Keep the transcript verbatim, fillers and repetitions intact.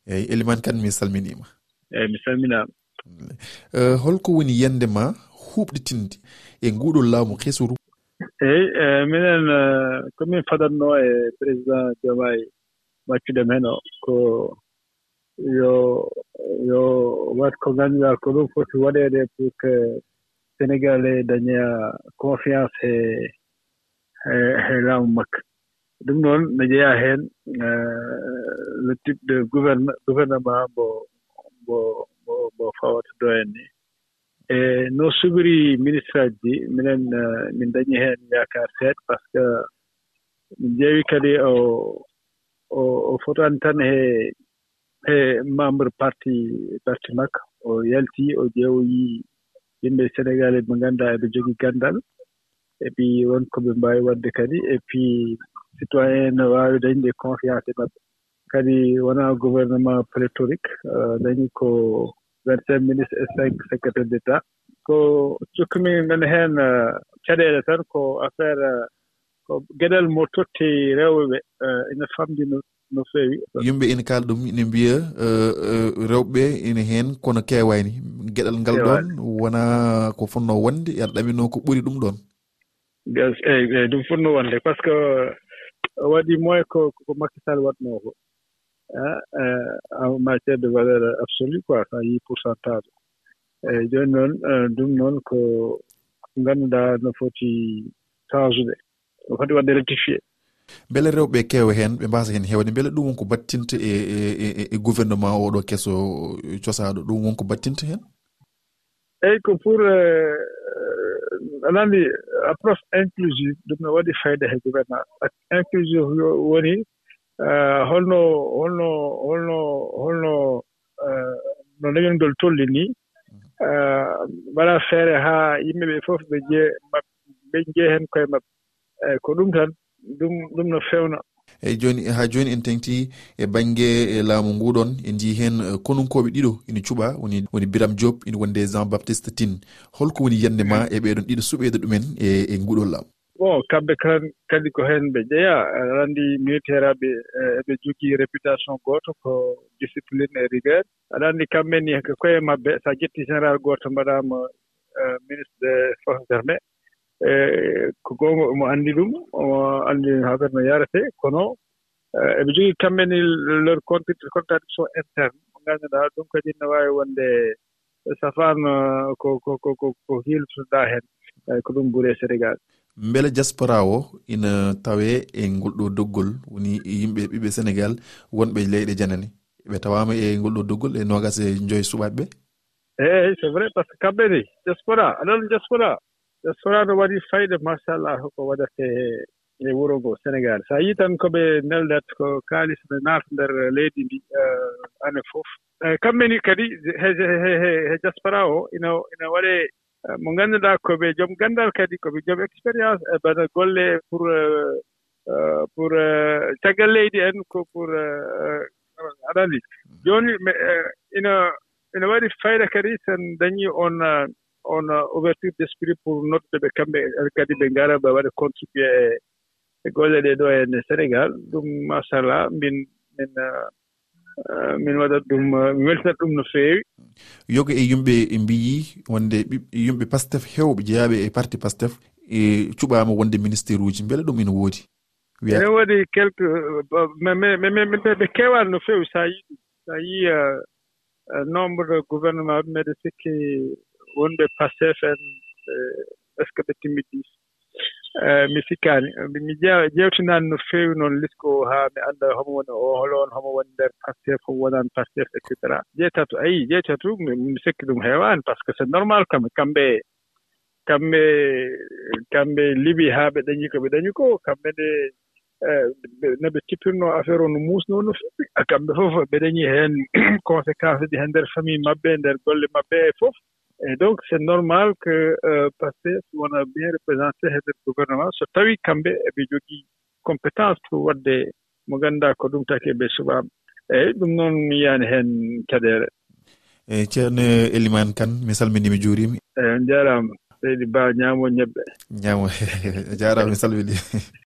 Eyyi, Eliman Kan, mi salminiima. Eyyi, mi salminaama. Eh, holko woni yiyannde ma huuɓɗitinde e nguɗo laamu kesuru? Eyyi, eh, minen, eh, ko min fadatnoo e président Diomaye, waccude mi heen o, ko yo, yo waɗ ko ngannduɗaa ko ɗum foti waɗeede pour que Sénégalais daña confiance he, he, he laamu makko. Ɗum noon no jeyaa heen, eh, le type de gouverne-, gouvernement mbo, mbo, mbo, mbo fawata ɗo en ni. E no subiri ministre aji ɗi, minen, eh, min dañi heen yaakaar seeɗa, parce que min ƴeewi kadi o, o, o fotaani tan he, he membre parti, parti makko. O yalti, o ƴeewoyi yimɓe Sénégal ɓe ngannduɗaa eɓe njogii ganndal, et puis won ko ɓe mbaawi waɗde kadi, et puis citoyen no waawi dañde confiance e maɓɓe. Kadi wonaa gouvernement pléthorique, eh, dañi ko vingt-cinq ministres et cinq secrétaires d'État. Ko cukkumi men heen, eh, caɗeele tan, ko affaire, eh, ko geɗal mo totti rewɓe, eh, ina famɗi no, no feewi. Yimɓe ina kaala ɗum, ina mbiya, eh, eh, rewɓe ina heen, kono keewaani. Geɗal ngal ɗoon wonaa ko fotnoo wonde, aɗa ɗaminoo ko ɓuri ɗum ɗoon. Gas-, eyyi, eyyi, ɗum fotnoo wonde, parce que o waɗi moins ko, ko Macky Sall waɗnoo ko. Ah, eh, en matière de valeur absolue, quoi, so a yii pourcentage. Eyyi, jooni noon, eh, ɗum noon ko, ko ngannduɗaa no foti changeude, no foti waɗde rectifié. Mbele rewɓe keewa heen, ɓe mbaasa heen heewde, mbele ɗum won ko battinta e, e, e, e gouvernement oɗo keso cosaaɗo, ɗum won ko battinta heen? Eyyi, ko pour, eh, aɗa anndi, approche inclusive, ɗum no waɗi fayda he gouvernance. Ak-, inclusive yo-, woni, eh, holno, holno, holno, holno, eh, no leñol ngol tolni ni, eh, mbaɗa feere haa yimɓe ɓe fof ɓe njiya maɓɓe, ɓe njiya heen koye maɓɓe. Eyyi, ko ɗum tan, ɗum, ɗum no feewna. Eyyi, jooni, haa jooni en teŋti e bannge, e laamu ngu ɗoon, en njii heen, eh, konunkooɓe ɗiɗo ina cuɓaa, woni, woni Biram Diop, ina wonde Jean Baptiste Tine. Holko woni yiyannde ma e ɓeeɗoon ɗiɗo suɓeede ɗumen e, e nguɗo laamu? Bon, kamɓe kan, kadi ko heen ɓe jeyaa. Aɗa anndi militaire aɓe, eh, eɓe njogii réputation gooto, ko discipline e rigueur. Aɗa anndi kamɓe ni ko koye maɓɓe, so a ƴetti général gooto mbaɗaama, eh, ministre des forces armées, eh, ko goonga, omo anndi ɗum, omo anndi affaire no yaretee, kono, eh, eɓe njogii kamɓe ni leur contra-, contradiction interne, mo ngannduɗaa ɗum kadi no waawi wonde safaan, eh, ko, ko, ko, ko, ko hiiltoɗaa heen, eh, ko ɗum ɓuri e Sénégal. Mbele diaspora o ina tawee e ngol ɗo doggol, woni yimɓe ɓiɓɓe Sénégal wonɓe leyɗe janane? Ɓe tawaama e ngol ɗo doggol e noogaas e joy suɓaaɓe ɓe? Eeyi, c'est vrai, parce que kamɓe ni, diaspora, aɗa anndi diaspora, diaspora no waɗi fayda, machallah, ko waɗata e, e wuro ngo, Sénégal. So a yii tan ko ɓe neldat, ko kaalis ne naata nder leydi ndi, eh, année fof. Eh, kamɓe ni kadi, he, he, he, he, he diaspora o, ina, ina waɗe, eh, mo ngannduɗaa ko ɓe joom ganndal kadi, ko ɓe joom expérience, e bana golle pour, eh, eh, pour, eh, caggal leydi en, ko pour, eh, eh, aɗa anndi. Jooni, me, eh, ina, ina waɗi fayda kadi so en dañii on, eh, on, eh, ouverture d'esprit pour noddude ɓe kamɓe kadi ɓe ngara ɓe waɗa contribuer e, e golle ɗe ɗo en e Sénégal. Ɗum, machallah, min, min, eh, eh, min waɗat ɗum, eh, mi weltinat ɗum no feewi. Yoga e yimɓe mbiyi wonde ɓiɓ-, yimɓe Pastef heewɓe jeyaaɓe e parti Pastef e cuɓaama wonde ministère uji. Mbele ɗum ina woodi? Wiya ene waɗi quelque, eh, ba-, mais, mais, mais, mais, mais ɓe keewaani no feewi, so a yii ɗum. So a yii, eh, eh, nombre de gouvernement, mbeɗa sikki wonɓe Pastef en, eh, est-ce que ɓe timmi dix? Eh, mi sikkaani. Mi, mi ƴeew-, ƴeewtinaani no feewi noon lisko o haa mi annda homo woni o, hol on, homo woni nder Pastef, homo wonaani Pastef, et cetera. Jeetati, ayi, jeetati, mi, mi sikki ɗum heewaani, parce que c'est normal kam, kamɓe, kamɓe, kamɓe liɓi haa ɓe dañi ko ɓe dañi ko, kamɓe ne, eh, ɓe, no ɓe tippirno affaire o, no muusno no feewi. Ah, kamɓe fof ɓe dañi heen conséquence ji heen nder famille maɓɓe, nder golle maɓɓe e fof. Et donc, c'est normal que, euh, Pastef wona bien représenté e nder gouvernement, so tawi kamɓe eɓe njogii compétence pour waɗde mo ngannduɗaa ko ɗum taki ɓe suɓaama. Eyyi, ɗum noon mi yiyaani heen caɗeele. Eyyi, Ceerno Elimane Kane, mi salminii, mi juuriima. Eyyi, on njaaraama. Seydi Ba, ñaamo ñebbe. Ñaamo. A jaaraama, mi salminii.